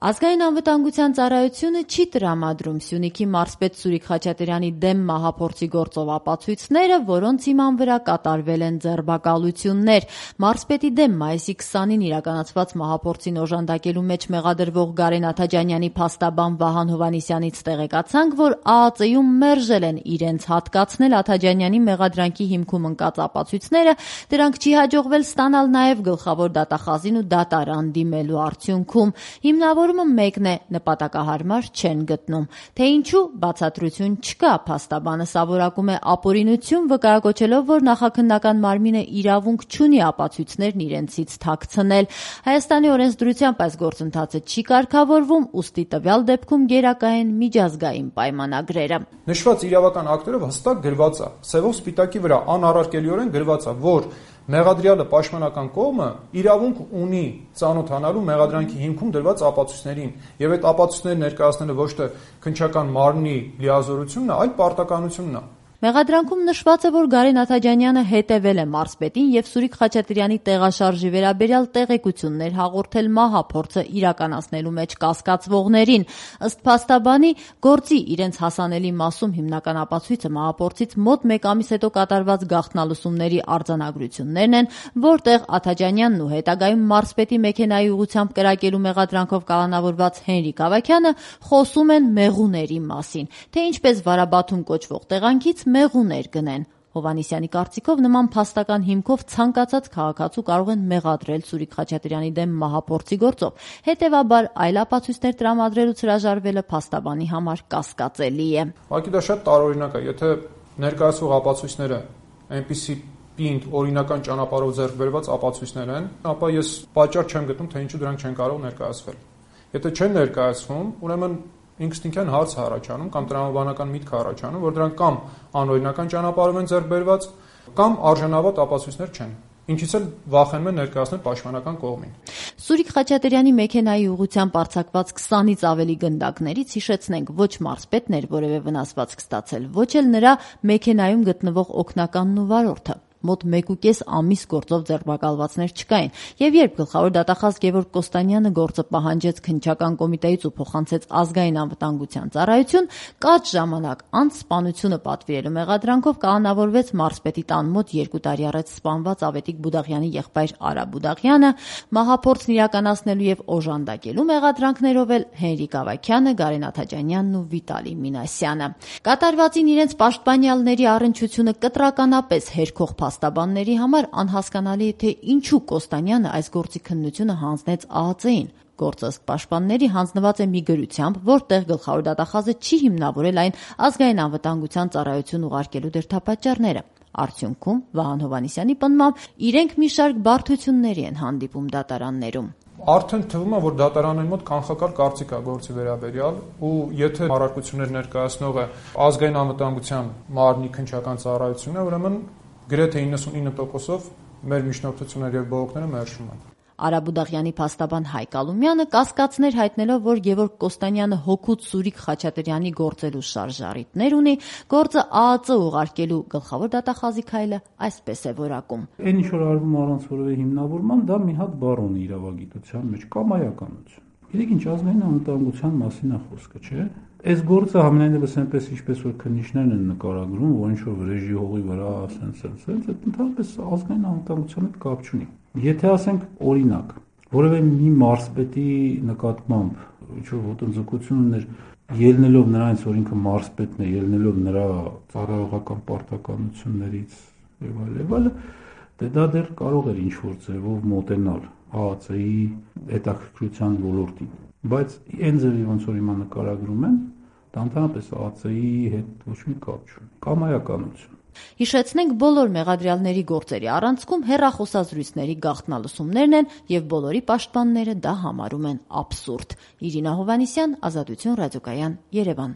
Ազգային անվտանգության ծառայությունը չի տրամադրում Սյունիքի մարզպետ Սուրիկ Խաչատրյանի դեմ մահափորձի գործով ապացույցները, որոնց հիման վրա կատարվել են ձերբակալություններ։ Մարզպետի դեմ մայիսի 20-ին իրականացված մահափորձին օժանդակելու մեջ մեղադրվող Գարեն Աթաջանյանի փաստաբան Վահան Հովհաննիսյանից տեղեկացանք, որ ԱԱԾ-ում մերժել են իրենց հատկացնել Աթաջանյանի մեղադրանքի հիմքում ընկած ապացույցները, դրանք չի հաջողվել ստանալ նաև գլխավոր դատախազին ու դատարան դիմելու արդյունքում։ Հիմնավորումը մեկն է՝ նպատակահարմար չեն գտնում։ Թե ինչու, բացատրություն չկա։ Փաստաբանը սավորակում է ապօրինություն, վկայակոչելով, որ նախաքննական մարմինը իրավունք չունի ապացույցներն իրենցից թաքցնել։ Հայաստանի օրենսդրությամբ այս գործընթացը չի կարգավորվում, ուստի տվյալ դեպքում գերակա են միջազգային պայմանագրերը։ Նշված իրավական ակտերով հստակ գրված է, սևով սպիտակի վրա անառարկելիորեն գրված է, որ մեղադրյալը պաշտպանական կողմը իրավունք ունի ծանոթանալու մեղադրանքի հիմքում դրված ապացույցներին, եւ այդ ապացույցները ներկայացնելը ոչ թե քննչական մարմնի լիազորությունն է, այլ պարտականությունն է։ Մեղադրանքում նշված է, որ Գարեն Աթաջանյանը հետևել է մարզպետին եւ Սուրիկ Խաչատրյանի տեղաշարժի վերաբերյալ տեղեկություններ հաղորդել մահափորձը իրականացնելու մեջ կասկածվողներին։ Ըստ փաստաբանի, գործի իրենց հասանելի մասում հիմնական ապացույցը մահափորձից մոտ 1 ամիս հետո կատարված գաղտնալսումների արձանագրություններն են, որտեղ Աթաջանյանն ու հետագայում մարզպետի մեքենայի ուղղությամբ կրակելու մեղադրանքով կալանավորված Հենրիկ Ավագյանը խոսում են մեղուների մասին, թե ինչպես Վարաբաթում կոչվող տեղանքից մեղուներ գնեն։ Հովհաննիսյանի կարծիքով նման փաստական հիմքով ցանկացած քաղաքացու կարող են մեղադրել Սուրիկ Խաչատրյանի դեմ մահափորձի գործով։ Հետևաբար այլ ապացույցներ տրամադրելուց հրաժարվելը փաստաբանի համար կասկածելի է։ Ուղղակի դա շատ տարօրինակ է, եթե ներկայացվող ապացույցները այնպիսի պինդ օրինական ճանապարհով ձեռք բերված ապացույցներ են, ապա ես պատճառ չեմ գտնում, թե ինչու դրանք չեն կարող ներկայացվել։ Եթե չեն ներկայացվում, ուրեմն ինքնին հարց առաջանում կամ տրամաբանական միտք առաջանում, որ դրանք կամ անօրինական ճանապարհով են ձեռք բերված, կամ արժանավատ ապացույցներ չեն, ինչից էլ վախենում են ներկայացնել պաշտպանական կողմին։ Սուրիկ Խաչատրյանի մեքենայի ուղղությամբ արձակված 20-ից ավելի գնդակներից հիշեցնենք, ոչ մարզպետն էր որևէ վնասվածք ստացել, ոչ էլ նրա մեքենայում գտնվող օգնականն ու վարորդը։ Մոտ 1.5 ամիս գործով ձերբակալվածներ չկային, եւ երբ գլխավոր դատախազ Գևորգ Կոստանյանը գործը պահանջեց քննչական կոմիտեից ու փոխանցեց ազգային անվտանգության ծառայություն, կարճ ժամանակ անց սպանությունը պատվիրելու մեղադրանքով կալանավորվեց մարզպետի տան մոտ 2 տարի առաջ սպանված Ավետիք Բուդաղյանի եղբայր Արա Բուդաղյանը, մահափորձն իրականացնելու եւ օժանդակելու մեղադրանքներով էլ Հենրիկ Ավագյանը, Գարեն Աթաջանյանն ու Վիտալի Մինասյանը։ Կատարվածին իրենց պաշտպանյալների առնչությունը կտրականապես հերքող փաստաբանների համար անհասկանալի է, թե ինչու Կոստանյանը այս գործի քննությունը հանձնեց ԱԱԾ-ին։ Գործը ըստ պաշտպանների հանձնված է մի գրությամբ, որտեղ գլխավոր դատախազը չի հիմնավորել այն ազգային անվտանգության ծառայություն ուղարկելու դրդապատճառները։ Արդյունքում, Վահան Հովհաննիսյանի պնդմամբ, իրենք մի շարք բարդությունների են հանդիպում դատարաններում։ Արդեն թվում է, որ դատարանների մոտ կանխակալ կարծիք է գործի վերաբերյալ, ու եթե առարկություններ ներկայացնողը ազգային անվտանգության մարմնի քննչական ծառայությունն է, ուրեմն գրեթե 99%-ով մեր միջնորդությունները եւ բողոքները մերժում են։ Արա Բուդաղյանի փաստաբան Հայկ Ալումյանը կասկածներ հայտնելով, որ Գևորգ Կոստանյանը հօգուտ Սուրիկ Խաչատրյանի գործելու շարժառիթներ ունի, գործը ԱԱԾ ուղարկելու գլխավոր դատախազի քայլը այսպես է որակում։ Այն ինչ որ արվում առանց որևէ հիմնավորման, դա մի հատ բառ ունի իրավագիտության մեջ՝ կամայականություն։ Գիտեք ինչ, ազգային անվտանգության մասին է խոսքը, չէ՞։ Այս գործը համենայնիվս այնպես ինչպես որ քննիչներն են նկարագրում, որ ինչ որ վրեժի հողի վրա ասենց, այդ ընդհանրապես ազգային անվտանգության հետ կապ չունի։ Եթե ասենք օրինակ, որևէ մի մարզպետի նկատմամբ ինչ որ ոտնձգություն ուներ, ելնելով նրանից, որ ինքը մարզպետն է, ելնելով նրա ծառայողական պարտականություններից եւ այլն, դա դեռ կարող էր ինչ որ ձևով մոտենալ ԱԱԾ-ի հետաքրքրության ոլորտին, բայց այն ձևի ոնց որ հիմա նկարագրում են, դա ընդհանրապես ԱԱԾ-ի հետ ոչ մի կապ չունի, կամայականություն։ Հիշեցնենք, բոլոր մեղադրյալների գործերի առանցքում հեռախոսազրույցների գաղտնալսումներն են եւ բոլորի պաշտպանները դա համարում են աբսուրդ։ Իրինա Հովհաննիսյան, Ազատություն ռադիոկայան, Երևան։